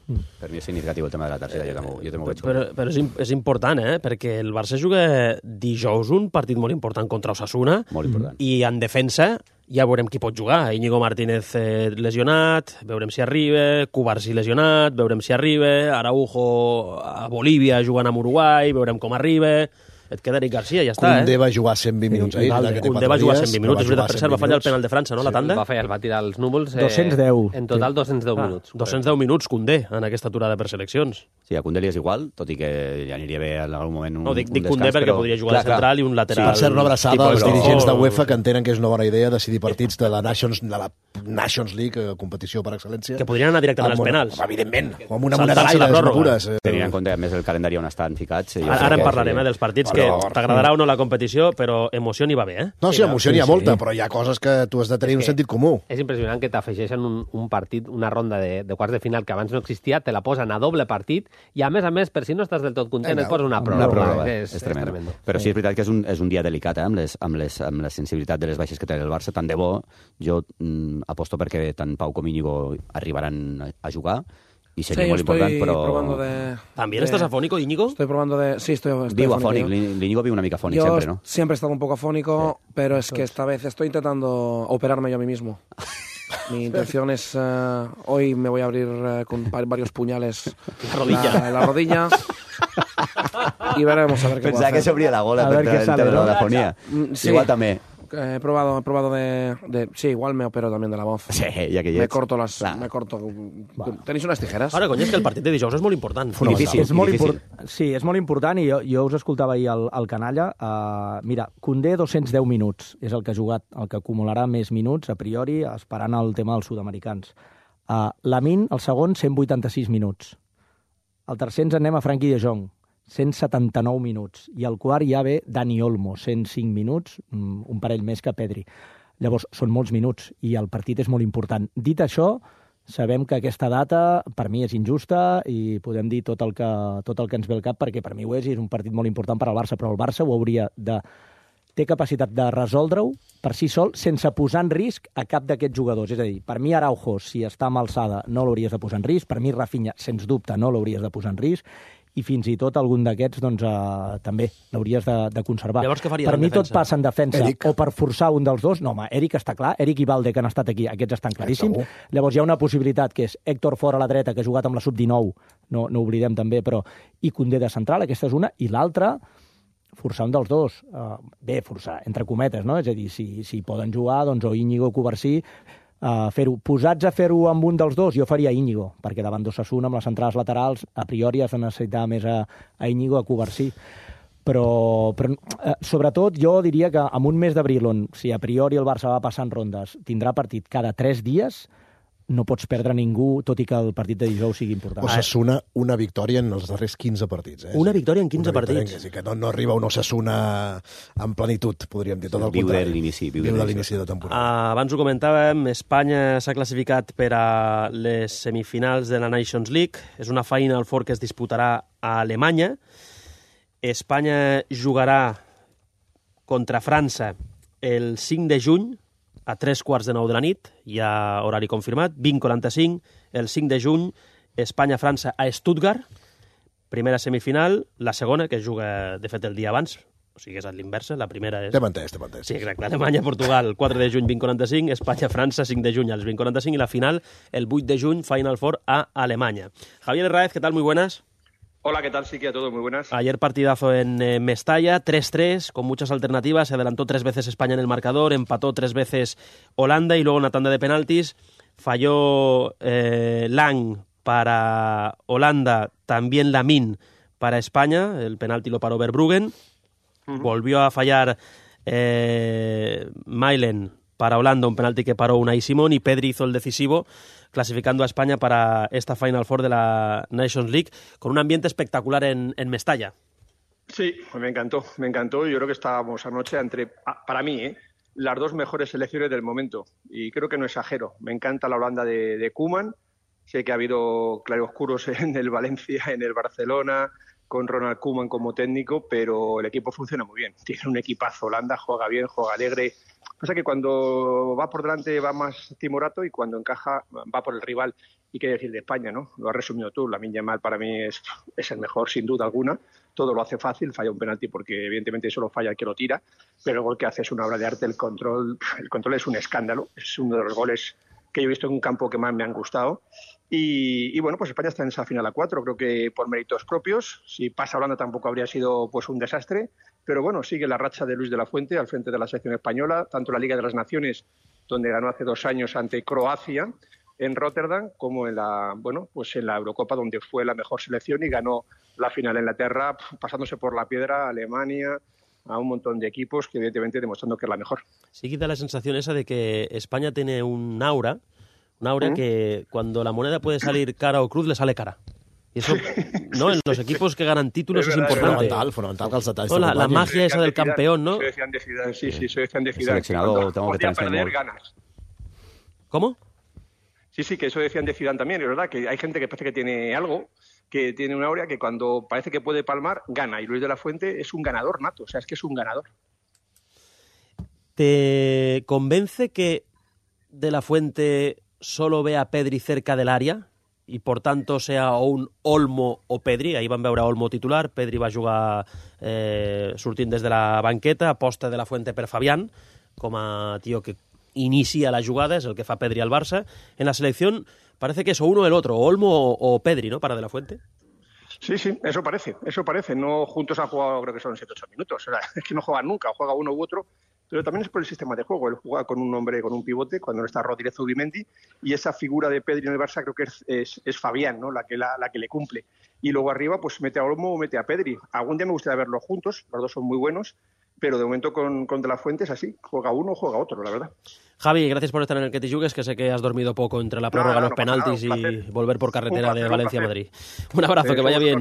Per mi és significatiu el tema de la tercera, jo també ho veig. Però és important, perquè el Barça juga dijous un partit molt important contra Osasuna, molt important. I en defensa ja veurem qui pot jugar. Íñigo Martínez lesionat, veurem si arriba, Cubarsí lesionat, veurem si arriba, Araujo a Bolívia jugant amb Uruguai, veurem com arriba. Et queda Eric Garcia, ja està, Koundé va jugar 120 minuts ahir. Koundé va jugar 120 minuts, és veritat, per cert, va fallar el penal de França, no, la tanda? Va fallar, va tirar els núvols. 210. En total 210 minuts. 210 minuts, Koundé, en aquesta aturada per seleccions. Sí, a Koundé li és igual, tot i que ja aniria bé en algun moment un dic descans, Koundé perquè podria jugar de central i un lateral. Sí, per cert, una abraçada als dirigents de UEFA que entenen que és una bona idea decidir partits de la Nations League, competició per excel·lència. Que podrien anar directament als penals. Evidentment, amb una moneda d'aire, pures. Tenint en compte, a més, el calendari on estan ficats. Ara en parlarem, dels partits, que t'agradarà o no la competició, però emoció n'hi va bé, No, sí, emoció n'hi ha molta, però hi ha coses que tu has de tenir un sentit comú. És impressionant que t'afegeixen un partit, una ronda de quarts de final que abans no existia, te la posen a doble partit, i a més, per si no estàs del tot content, et posa una pròrroga. És tremendo. Però sí, és veritat que és un dia delicat, amb la sensibilitat de les baixes que té el Barça. Tant de bo, jo aposto perquè tant Pau com Íñigo arribaran a jugar, y sería muy importante, pero... ¿También estás afónico, Íñigo? Estoy probando de... Sí, estoy vivo afónico. Íñigo vive una mica afónico siempre, ¿no? Siempre he estado un poco afónico, pero es que esta vez estoy intentando operarme yo a mí mismo. Mi intención es... hoy me voy a abrir con varios puñales la rodilla. Y veremos a ver qué puedo hacer. Pensaba que se abría la gola a ver qué sale, ¿no? La afonía. Sí. Igual también. He probado de... Sí, igual me opero también de la voz. Sí, ja que hi ets. Me corto... Tenéis unes tijeres? Ara, cony, és que el partit de dijous és molt important. Difícil. Sí, és molt important, i jo us escoltava ahir al Canalla. Mira, Koundé 210 minuts és el que ha jugat, el que acumularà més minuts, a priori, esperant el tema dels sud-americans. Lamine, el segon, 186 minuts. El tercer ens anem a Frenkie de Jong, 179 minuts. I al quart ja ve Dani Olmo, 105 minuts, un parell més que Pedri. Llavors, són molts minuts i el partit és molt important. Dit això, sabem que aquesta data per mi és injusta i podem dir tot el que ens ve al cap, perquè per mi ho és, i és un partit molt important per al Barça, però el Barça ho hauria de... té capacitat de resoldre-ho per si sol, sense posar en risc a cap d'aquests jugadors. És a dir, per mi Araujo, si està amb alçada, no l'hauries de posar en risc. Per mi Rafinha, sens dubte, no l'hauries de posar en risc. I fins i tot algun d'aquests doncs, també l'hauries de conservar. Llavors, què faries per mi en defensa? tot passa en defensa, o per forçar un dels dos. No, home, Eric està clar, Eric i Valde, que han estat aquí, aquests estan claríssims. Llavors hi ha una possibilitat, que és Héctor fora a la dreta, que ha jugat amb la sub-19, no oblidem també, però i Koundé de central, aquesta és una, i l'altra, forçar un dels dos. Bé, forçar, entre cometes, no? És a dir, si poden jugar, doncs o Íñigo o Cubarsí, posats a fer-ho amb un dels dos, jo faria Íñigo, perquè davant d'Osasuna, amb les centrals laterals, a priori has de necessitar més a Íñigo, a Cubarsí. Però sobretot jo diria que en un mes d'abril, on si a priori el Barça va passant rondes, tindrà partit cada 3 dies, no pots perdre ningú, tot i que el partit de dijous sigui important. Osasuna, una victòria en els darrers 15 partits. Una victòria en 15 partits. Que no arriba un Osasuna en plenitud, podríem dir, tot el viu contrari. Viu de l'inici de temporada. Abans ho comentàvem, Espanya s'ha classificat per a les semifinals de la Nations League. És una Final Four que es disputarà a Alemanya. Espanya jugarà contra França el 5 de juny, a 3:15 de la nit, hi ha horari confirmat, 20:45, el 5 de juny, Espanya-França a Stuttgart, primera semifinal, la segona, que es juga, de fet, el dia abans, o sigui, és a l'inversa, la primera és... T'hem entès. Sí, exacte, Alemanya-Portugal, 4 de juny, 20:45, Espanya-França, 5 de juny, als 20:45, i la final, el 8 de juny, Final Four a Alemanya. Javier Herráez, ¿qué tal? Muy buenas. Hola, ¿qué tal? Sí, que a todos, muy buenas. Ayer partidazo en Mestalla, 3-3, con muchas alternativas. Se adelantó 3 veces España en el marcador, empató 3 veces Holanda y luego una tanda de penaltis. Falló Lang para Holanda, también Lamine para España. El penalti lo paró Verbruggen. Volvió a fallar Mailen para Holanda, un penalti que paró Unai Simón, y Pedri hizo el decisivo, clasificando a España para esta Final Four de la Nations League, con un ambiente espectacular en Mestalla. Sí, me encantó. Yo creo que estábamos anoche para mí, las dos mejores selecciones del momento. Y creo que no exagero. Me encanta la Holanda de Koeman. Sé que ha habido claroscuros en el Valencia, en el Barcelona, con Ronald Koeman como técnico, pero el equipo funciona muy bien. Tiene un equipazo. Holanda juega bien, juega alegre. Pasa que cuando va por delante va más timorato y cuando encaja va por el rival. Y qué decir de España, ¿no? Lo has resumido tú. Lamine Yamal para mí es el mejor, sin duda alguna. Todo lo hace fácil, falla un penalti porque evidentemente solo falla el que lo tira, pero el gol que hace es una obra de arte. El control es un escándalo. Es uno de los goles que yo he visto en un campo que más me han gustado. Y bueno, pues España está en esa final a 4, creo que por méritos propios. Si pasa Holanda tampoco habría sido pues un desastre, pero bueno, sigue la racha de Luis de la Fuente al frente de la selección española, tanto en la Liga de las Naciones, donde ganó hace 2 años ante Croacia en Rotterdam, como en la Eurocopa, donde fue la mejor selección y ganó la final en Inglaterra, pasándose por la piedra a Alemania, a un montón de equipos que evidentemente demostrando que es la mejor. Sí que da la sensación esa de que España tiene un aura que cuando la moneda puede salir cara o cruz, le sale cara. Y eso, ¿no? En los equipos que ganan títulos es importante. Fonamental que els detalls no, la magia esa del campeón, ¿no? Soy de Zidane de Zidane, sí, soy de Zidane. Seleccionado, tengo que perder, ganas. ¿Cómo? Sí, que eso decían de Zidane también, es verdad, que hay gente que parece que tiene algo, que tiene una aurea que cuando parece que puede palmar, gana. Y Luis de la Fuente es un ganador nato, o sea, es que es un ganador. ¿Te convence que de la Fuente solo ve a Pedri cerca del área i, por tanto, sea o un Olmo o Pedri? Ahir vam veure Olmo titular, Pedri va jugar sortint des de la banqueta, aposta de la Fuente per Fabián, com a tio que inicia la jugada, es el que fa Pedri al Barça. En la selección parece que es o uno o el otro, Olmo o Pedri, ¿no?, para de la Fuente. Sí, eso parece. No, juntos han jugado, creo que son 7-8 minutos. O sea, es que no juegan nunca, juega uno u otro, pero también es por el sistema de juego. Él juega con un hombre, con un pivote, cuando no está Rodríguez Zubimendi, y esa figura de Pedri en el Barça creo que es Fabián, ¿no?, la que le cumple. Y luego arriba, pues mete a Olmo o mete a Pedri. Algún día me gustaría verlos juntos, los dos son muy buenos, pero de momento con De la Fuente es así, juega uno o juega otro, la verdad. Javi, gracias por estar en el Que Te Jugues, que sé que has dormido poco entre la prórroga, los penaltis y volver por carretera de Valencia a Madrid. Un abrazo, que vaya bien.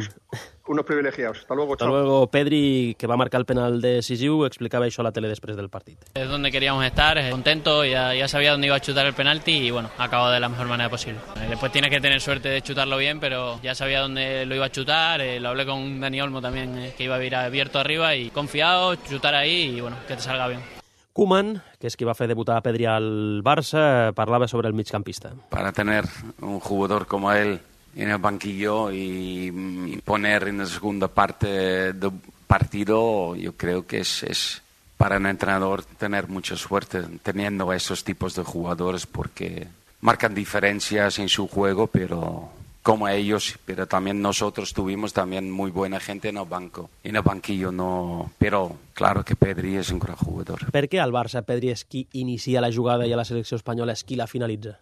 Unos privilegiados. Hasta luego, Hasta luego. Pedri, que va a marcar el penal decisiu, explicaba això a la tele després del partit. Es donde queríamos estar, contento, ya sabía dónde iba a chutar el penalti y bueno, ha acabado de la mejor manera posible. Después tienes que tener suerte de chutarlo bien, pero ya sabía dónde lo iba a chutar, lo hablé con Dani Olmo también, que iba a ir abierto arriba y confiado, chutar ahí y bueno, que te salga bien. Koeman, que és qui va fer debutar a Pedri al Barça, parlava sobre el migcampista. Para tener un jugador como él en el banquillo y poner en la segunda parte del partido, yo creo que es para un entrenador tener mucha suerte teniendo esos tipos de jugadores, porque marcan diferencias en su juego, pero como ellos, pero también nosotros tuvimos también muy buena gente en el banquillo, no, pero claro que Pedri és un gran jugador. Per què al Barça Pedri és qui inicia la jugada i a la selecció espanyola és qui la finalitza?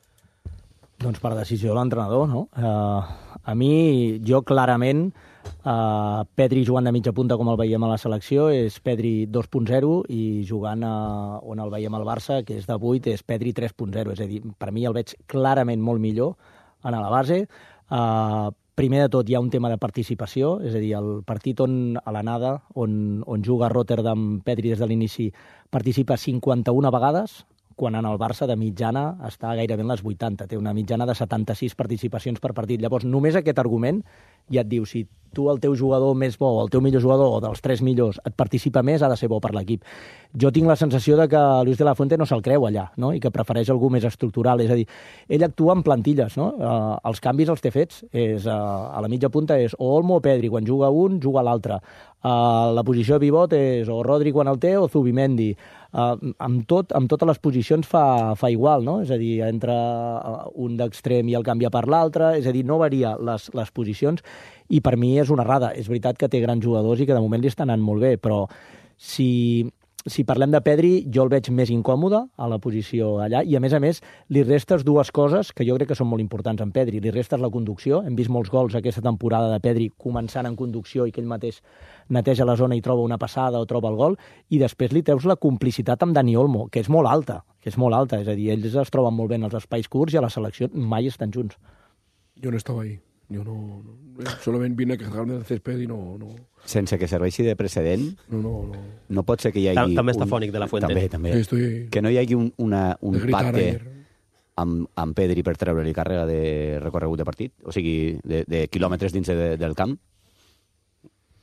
Doncs per decisió de l'entrenador, no? A mi, jo clarament, Pedri jugant de mitja punta com el veiem a la selecció és Pedri 2.0 i jugant on el veiem al Barça, que és de 8, és Pedri 3.0. És a dir, per mi el veig clarament molt millor a la base. Primer de tot hi ha un tema de participació, és a dir, el partit a l'anada, on juga a Rotterdam, Pedri des de l'inici participa 51 vegades, quan en el Barça de mitjana està gairebé en les 80, té una mitjana de 76 participacions per partit. Llavors, només aquest argument ja et diu, si tu el teu jugador més bo, o el teu millor jugador, o dels 3 millors, et participa més, ha de ser bo per l'equip. Jo tinc la sensació de que Luis de la Fuente no se'l creu allà, no?, i que prefereix algú més estructural. És a dir, ell actua en plantilles, no? Els canvis els té fets. A la mitja punta és o Olmo o Pedri, quan juga un, juga l'altre. La posició de pivot és o Rodri quan el té o Zubimendi. Amb totes les posicions fa igual, no? És a dir, entra un d'extrem i el canvia per l'altre, és a dir, no varia les posicions, i per mi és una errada. És veritat que té grans jugadors i que de moment li està anant molt bé, però si parlem de Pedri, jo el veig més incòmode a la posició allà, i a més, li restes dues coses que jo crec que són molt importants en Pedri. Li restes la conducció, hem vist molts gols aquesta temporada de Pedri començant en conducció i que ell mateix neteja la zona i troba una passada o troba el gol, i després li treus la complicitat amb Dani Olmo, que és molt alta, és a dir, ells es troben molt bé en els espais curts i a la selecció mai estan junts. Jo no estava ahí. Yo solament vine a quejarme del césped i no... Sense que serveixi de precedent, no pot ser que hi hagi... També està fònic de la Fuente. També. Que no hi hagi un pacte amb Pedri per treure-li càrrega de recorregut de partit, o sigui, de quilòmetres dins del camp.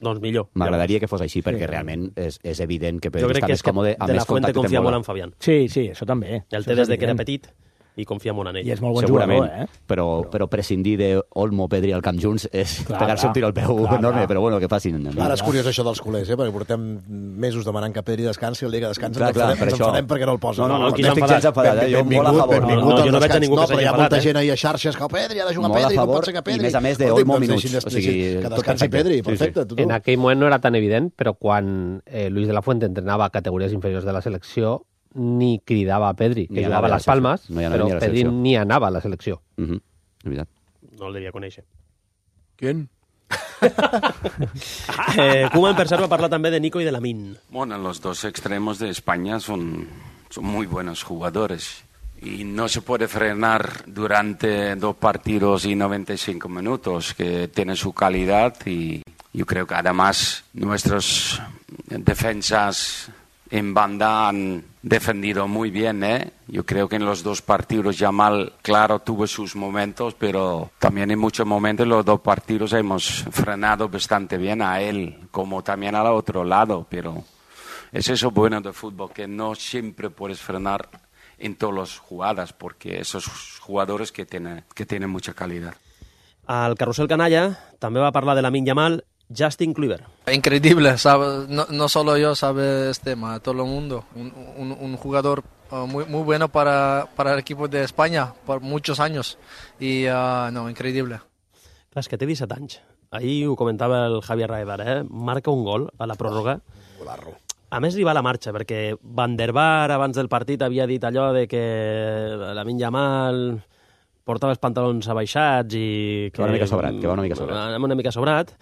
Doncs millor. M'agradaria que fos així, perquè realment és evident que Pedri està més còmode, amb De més La Fuente contacte confia amb molt bola. en Fabián. Sí, això també. El té des de que era petit i confia molt en ell. I és molt bon Segurament, jugador, però prescindir d'Olmo, Pedri al camp junts és pegar-se un tiro al peu enorme, però bueno, que facin. Ara és curiós això dels culers, perquè portem mesos demanant que Pedri descansi, el dia que descansa ens enfadem perquè no el posa. No, aquí no estic gens enfadat, jo molt a favor. Jo no veig a ningú que s'hagi enfadat. Hi ha molta gent enfadat. ahir a xarxes que Pedri ha de jugar Molt a Pedri, com favor, pot ser que Pedri... i més a més d'Olmo minuts. O sigui, que descansi Pedri, perfecte. En aquell moment no era tan evident, però quan Luis de la Fuente entrenava a categories inferiors de la selecció, ni cridava a Pedri, que jugava a les Palmes, però Pedri ni anava a la selecció. És veritat. No el devia conèixer. ¿Quién? Koeman, per cert, va parlar també de Nico y de Lamine. Bueno, los dos extremos de España son muy buenos jugadores. Y no se puede frenar durante 2 partidos y 95 minutos, que tienen su calidad. Y yo creo que además nuestros defensas en banda han defendido muy bien, ¿eh? Yo creo que en los 2 partidos Yamal, claro, tuvo sus momentos, pero también en muchos momentos los 2 partidos hemos frenado bastante bien a él, como también al otro lado. Pero es eso bueno del fútbol, que no siempre puedes frenar en todas las jugadas, porque esos jugadores que tienen mucha calidad. Al Carrusel Canalla també va parlar de Lamine Yamal Justin Kluivert. Increíble, sabe, no solo yo, sabe este tema, todo el mundo. Un jugador muy bueno para el equipo de España por muchos años. Y increíble. Clar, és que té 17 anys. Ahir ho comentava el Javier Raedar, marca un gol a la pròrroga. Golarro. A més, li va la marxa, perquè Van der Vaart abans del partit havia dit allò de que Lamine Yamal portava els pantalons abaixats i... Que va una mica sobrat, una mica sobrat.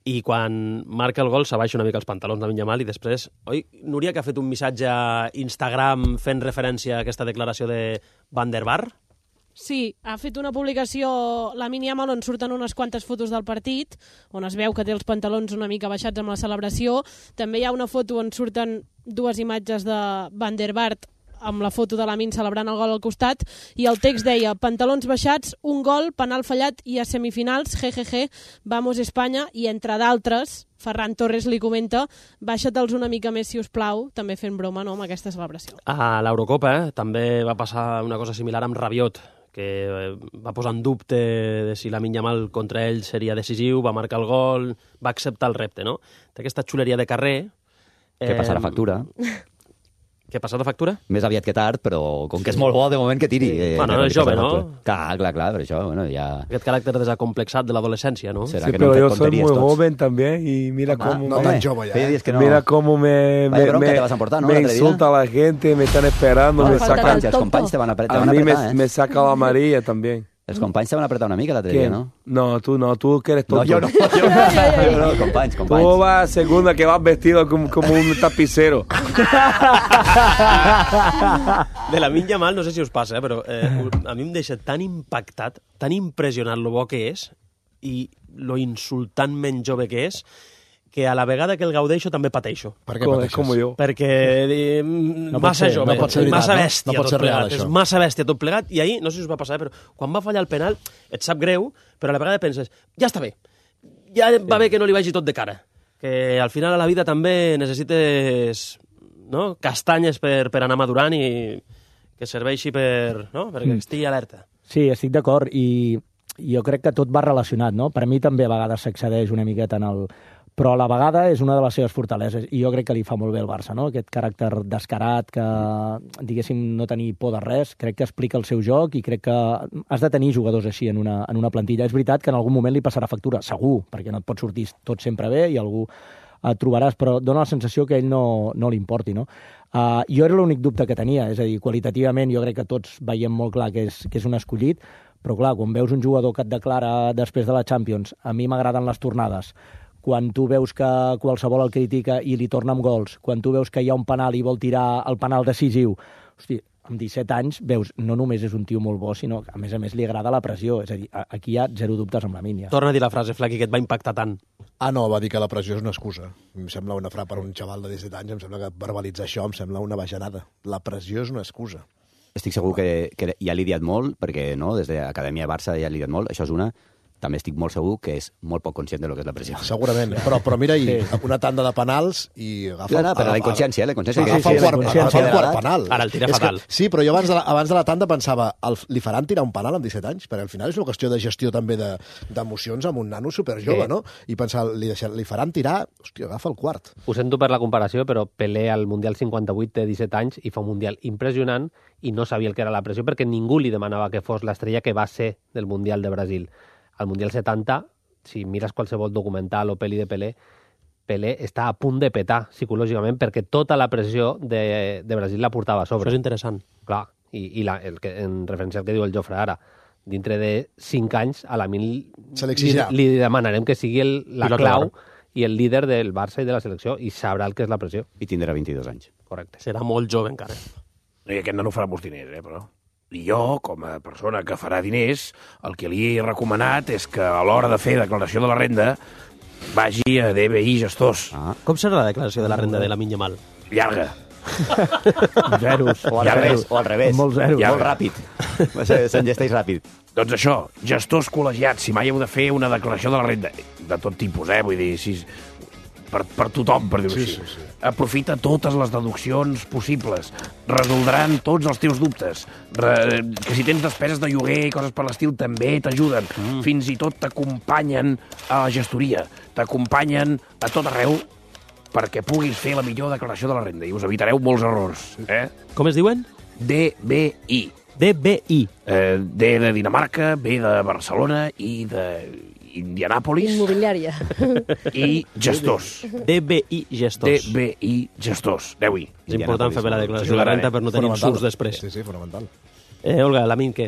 I quan marca el gol s'abaixa una mica els pantalons de Yamal i després... Oi, Núria, que ha fet un missatge a Instagram fent referència a aquesta declaració de Van der Vaart? Sí, ha fet una publicació, Lamine Yamal, on surten unes quantes fotos del partit, on es veu que té els pantalons una mica baixats amb la celebració. També hi ha una foto on surten 2 imatges de Van der Vaart amb la foto de Lamine celebrant el gol al costat, i el text deia: pantalons baixats, un gol, penal fallat i a semifinals, jejeje, vamos Espanya, i entre d'altres, Ferran Torres li comenta: baixa-te'ls una mica més, si us plau, també fent broma, no?, amb aquesta celebració. A l'Eurocopa també va passar una cosa similar amb Rabiot, que va posar en dubte de si Lamine Yamal contra ell seria decisiu, va marcar el gol, va acceptar el repte, no? Té aquesta xuleria de carrer. Que passarà factura. Què ha passat de factura? Més aviat que tard, però com que és molt bo de moment que tiri... Bueno, és jove, ¿no? Clar, per això, bueno, ja... Aquest caràcter desacomplexat de l'adolescència, ¿no? Sí, pero yo soy muy joven también y mira cómo... No tan jove, ja. Mira cómo me insulta la gente, me están esperando, me sacan... Els companys te van apretar, a mí me saca la amarilla también. Els companys te van apretar una mica l'altre dia, ¿no? No, tú que eres tonto. No, yo no. Companys. Tú vas a segunda que vas vestido como un tapicero. De Lamine Yamal, no sé si us passa, però a mi em deixa tan impactat, tan impressionat lo bo que és i lo insultantment jove que és, que a la vegada que el gaudeixo també pateixo. Per què pateixes? Com jo. Perquè massa jove, massa bèstia tot plegat. És massa bèstia tot plegat. I ahir, no sé si us va passar, però quan va fallar el penal et sap greu, però a la vegada penses, ja està bé, ja va bé que no li vagi tot de cara. Que al final a la vida també necessites castanyes per anar madurant i que serveixi perquè estigui alerta. Sí, estic d'acord, i jo crec que tot va relacionat, no? Per a mi també a vegades s'excedeix una miqueta en el... Però a la vegada és una de les seves fortaleses, i jo crec que li fa molt bé el Barça, no? Aquest caràcter descarat, que, diguéssim, no tenir por de res, crec que explica el seu joc, i crec que has de tenir jugadors així en una plantilla. És veritat que en algun moment li passarà factura, segur, perquè no et pot sortir tot sempre bé i algú et trobaràs, però dona la sensació que a ell no li importi, no? Jo era l'únic dubte que tenia, és a dir, qualitativament jo crec que tots veiem molt clar que és un escollit, però clar, quan veus un jugador que et declara després de la Champions, a mi m'agraden les tornades, quan tu veus que qualsevol el critica i li torna amb gols, quan tu veus que hi ha un penal i vol tirar el penal decisiu, hosti, amb 17 anys veus, no només és un tio molt bo, sinó que a més li agrada la pressió. És a dir, aquí hi ha 0 dubtes amb la Mínia. Torna a dir la frase, Flaky, que et va impactar tant. No, va dir que la pressió és una excusa. Em sembla una frase per un xaval de 17 anys, em sembla que verbalitzar això em sembla una bajanada. La pressió és una excusa. Estic segur que ja li he dit molt, perquè no, des de l'Acadèmia Barça ja li he dit molt, això és una... també estic molt segur que és molt poc conscient de lo que és la pressió. Segurament, però mira, una tanda de penals i agafa... No, però la inconsciència, agafa el quart penal. Ara el tira fatal. Sí, però jo abans de la tanda pensava, li faran tirar un penal amb 17 anys? Perquè al final és una qüestió de gestió també d'emocions amb un nano superjove, no? I pensar, li faran tirar, hòstia, agafa el quart. Ho sento per la comparació, però Pelé al Mundial 58 té 17 anys i fa un Mundial impressionant i no sabia el que era la pressió perquè ningú li demanava que fos l'estrella que va ser del Mundial de Brasil. Al Mundial 70, si mires qualsevol documental o pel·li de Pelé està a punt de petar psicològicament perquè tota la pressió de Brasil la portava a sobre. Això és interessant. Clar, en referència al que diu el Jofre ara, dintre de 5 anys a la li demanarem que sigui la clau i el líder del Barça i de la selecció i sabrà el que és la pressió. I tindrà 22 anys. Correcte. Serà molt jove encara. I aquest nano farà molts diners, però... I jo, com a persona que farà diners, el que li he recomanat és que a l'hora de fer declaració de la renda vagi a DBI Gestors. Com serà la declaració de la renda de Lamine Yamal? Llarga. Zeros. O al revés. Molt zeros. Molt ràpid. S'engesteix ràpid. Doncs això, gestors col·legiats, si mai heu de fer una declaració de la renda, de tot tipus, vull dir, per tothom, per dir-ho així. Sí. Aprofita totes les deduccions possibles. Resoldran tots els teus dubtes. Que si tens despeses de lloguer i coses per l'estil, també t'ajuden. Fins i tot t'acompanyen a la gestoria. T'acompanyen a tot arreu perquè puguis fer la millor declaració de la renda i us evitareu molts errors. Com es diuen? DBI. DBI. D de Dinamarca, B de Barcelona i de Indianàpolis. Immobiliària. I gestors. DBI Gestors. DBI Gestors. Aneu-hi. És important fer bé la declaració de renta per no tenir insults després. Sí, fonamental. Olga, Lamine, què?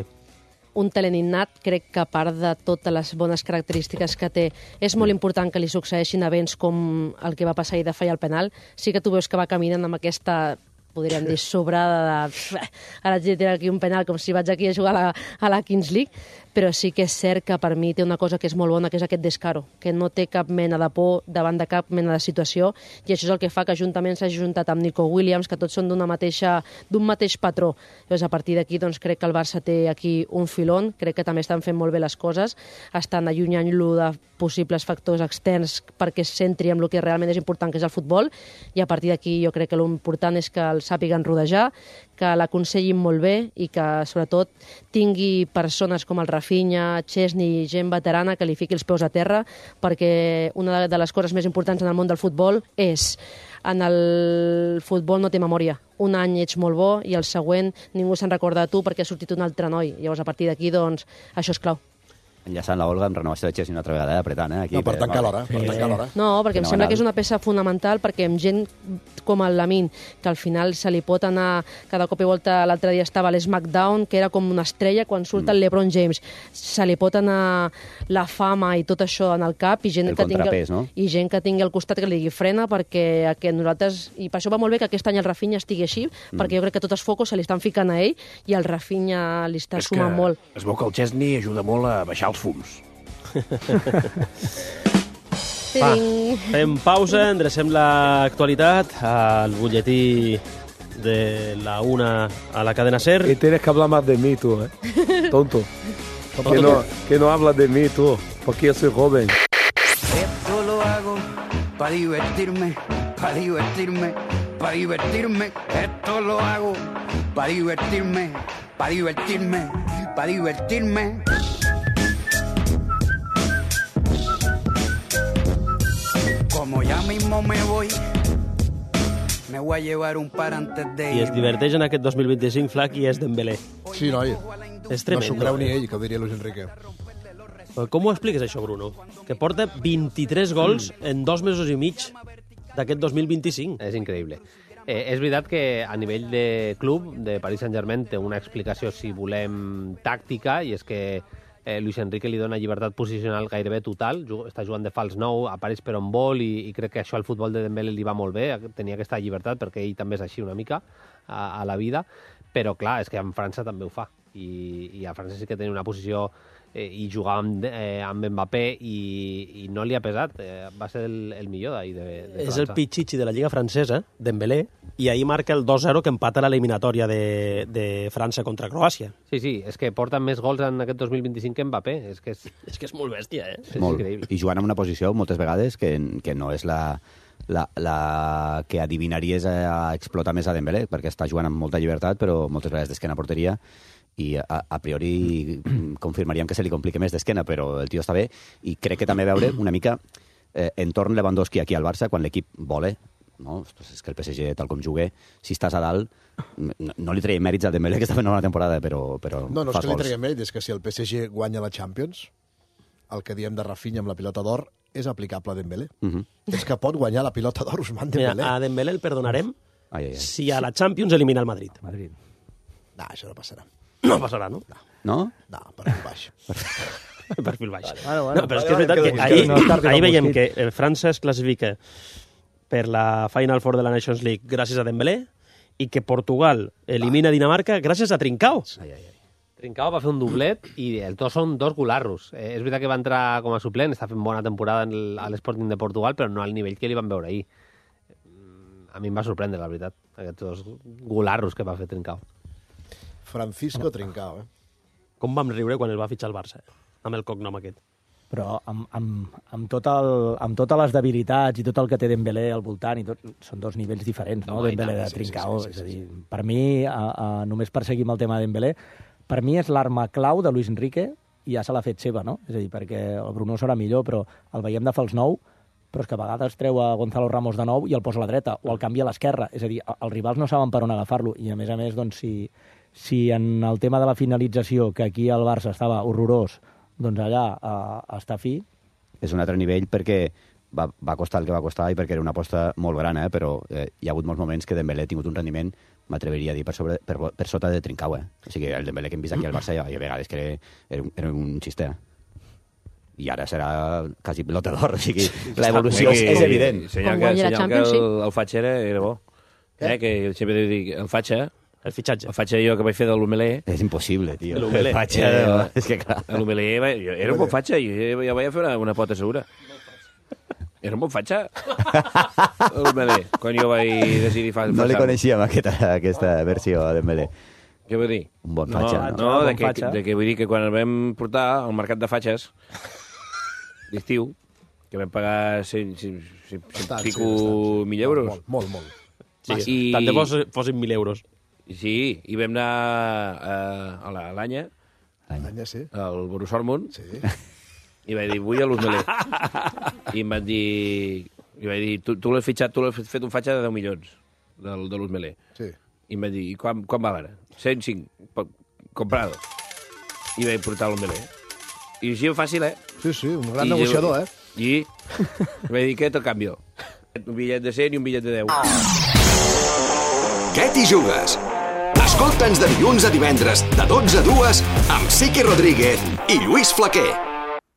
Un talent innat, crec que a part de totes les bones característiques que té, és molt important que li succeeixin events com el que va passar ahir de fallar el penal. Sí que tu veus que va caminant amb aquesta, podríem dir, sobrada de... Ara haig de tirar aquí un penal com si vaig aquí a jugar a la Kings League, però sí que és cert que per mi té una cosa que és molt bona, que és aquest descaro, que no té cap mena de por davant de cap mena de situació, i això és el que fa que juntament s'hagi juntat amb Nico Williams, que tots són d'un mateix patró. Llavors, a partir d'aquí, doncs, crec que el Barça té aquí un filón, crec que també estan fent molt bé les coses, estan allunyant-lo de possibles factors externs perquè es centri en el que realment és important, que és el futbol, i a partir d'aquí jo crec que l'important és que el sàpiguen rodejar, que l'aconsellin molt bé i que, sobretot, tingui persones com el Rafinha, Chesney, gent veterana que li fiqui els peus a terra, perquè una de les coses més importants en el món del futbol és en el futbol no té memòria. Un any ets molt bo i el següent ningú se'n recorda de tu perquè ha sortit un altre noi. Llavors, a partir d'aquí, doncs, això és clau. Enllaçant la Olga amb renovació de Chesney una altra vegada, apretant, Aquí, no, per tancar l'hora. No, perquè em sembla que és una peça fonamental, perquè amb gent com el Lamine, que al final se li pot anar, cada cop i volta, l'altre dia estava a l'SmackDown, que era com una estrella, quan surt el LeBron James, se li pot anar la fama i tot això en el cap, i gent que tingui al costat que li digui frena, perquè nosaltres, i per això va molt bé que aquest any el Rafinha estigui així, perquè jo crec que tots els focus se li estan ficant a ell, i el Rafinha li està sumant molt. Es veu que el Chesney ajuda molt a baixar els fums. Fem pausa, endrecem l'actualitat al butlletí de la 1 a la cadena SER. Y tienes que hablar más de mí tú, tonto. Que no hablas de mí tú, porque yo soy joven. Esto lo hago para divertirme, para divertirme, para divertirme. Esto lo hago para divertirme, para divertirme, para divertirme. Como ya mismo me voy a llevar un par antes de irme. I es diverteix en aquest 2025, Flac, i és Dembélé. Sí, noi. És tremendo. No s'ho creu ni ell, que ho diria Luis Enrique. Com ho expliques, això, Bruno? Que porta 23 gols en 2 mesos i mig d'aquest 2025. És increïble. És veritat que a nivell de club, de Paris Saint-Germain, té una explicació, si volem, tàctica, i és que Luis Enrique li dona llibertat posicional gairebé total, està jugant de fals 9, apareix per on vol, i crec que això al futbol de Dembélé li va molt bé, tenia aquesta llibertat, perquè ell també és així una mica a la vida, però clar, és que en França també ho fa. i el francès sí que tenia una posició i jugava amb Mbappé i no li ha pesat, va ser el millor d'ahir de França. És el pitxitxi de la Lliga francesa, Dembélé, i ahir marca el 2-0 que empata l'eliminatòria de França contra Croàcia. Sí, és que porta més gols en aquest 2025 que Mbappé. És que és molt bèstia, eh? És increïble. I jugant en una posició moltes vegades que no és la que adivinaries a explotar més a Dembélé, perquè està jugant amb molta llibertat, però moltes vegades d'esquena a porteria, i a priori confirmaríem que se li complica més d'esquena, però el tio està bé, i crec que també veure una mica entorn Lewandowski aquí al Barça, quan l'equip vola, no? És que el PSG, tal com jugue, si estàs a dalt, no li treiem mèrits a Dembélé, que està fent una bona temporada, però no és fas que li gols. treiem mèrits, és que si el PSG guanya la Champions, el que diem de Rafinha amb la pilota d'or és aplicable a Dembélé. És que pot guanyar la pilota d'or Ousmane Dembélé. Mira, a Dembélé el perdonarem si a la Champions elimina el Madrid. No, això no passarà. No passarà, no? No? No, perfil baix. Perfil baix. Bueno, no, però és que és veritat que ahir veiem que França es classifica per la Final Four de la Nations League gràcies a Dembélé i que Portugal elimina Dinamarca gràcies a Trincao. Trincao va fer un doblet i els dos són dos golarros. És veritat que va entrar com a suplent, està fent bona temporada a l'Sporting de Portugal, però no al nivell que li van veure ahir. A mi em va sorprendre, la veritat, aquests dos golarros que va fer Trincao. Francisco Trincao, Com vam riure quan el va fitxar el Barça, amb el cognom aquest. Però amb totes les debilitats i tot el que té Dembélé al voltant, i tot, són dos nivells diferents, no? Dembélé de Trincao. És a dir, per mi, només per seguir amb el tema de Dembélé, per mi és l'arma clau de Luis Enrique i ja se l'ha fet seva, no? És a dir, perquè el Bruno serà millor, però el veiem de fals nou, però és que a vegades treu a Gonzalo Ramos de nou i el posa a la dreta, o el canvia a l'esquerra. És a dir, els rivals no saben per on agafar-lo, i a més, doncs, si en el tema de la finalització, que aquí al Barça estava horrorós, doncs allà està fi. És un altre nivell perquè va costar el que va costar i perquè era una aposta molt gran, però hi ha hagut molts moments que Dembélé ha tingut un rendiment, m'atreviria a dir, per sota de Trincao. O sigui, el Dembélé que hem vist aquí al Barça hi ha vegades que era un xiste. I ara serà quasi pilota d'or, o sigui, l'evolució és evident. Senyal que el Fatxa era bo. Que sempre dic, el Fatxa... El fitxatge. El Fatxa jo que vaig fer de l'Homelé... És impossible, tio. El Fatxa... És que clar. L'Homelé era un bon Fatxa, jo vaig fer una pota segura. Era un bon Fatxa. L'Homelé, quan jo vaig decidir fer... No li coneixíem aquesta versió a Dembélé. Què vull dir? Un bon Fatxa, no? No, de que vull dir que quan el vam portar al mercat de Fatxes, d'estiu, que vam pagar 100 pico 1.000 euros. Molt. Sí, tant de fossin 1.000 euros. Sí, i vam anar a l'Anya, sí. al Borussia Dortmund, sí. I vaig dir, vull a l'Homelé. I em van dir... I vaig dir, tu l'has fitxat, tu l'has fet un Fatxa de 10 milions, de l'Homelé. Sí. I em van dir, i quan va ara? 105, comprado. I vaig portar l'Homelé. I així fàcil, Sí, un gran negociador, I vaig dir, què te canvio? Un bitllet de 100 i un bitllet de 10. Què t'hi jugues? Escolta'ns de dilluns a divendres, de 12 a 2, amb Sique Rodríguez i Lluís Flaquer.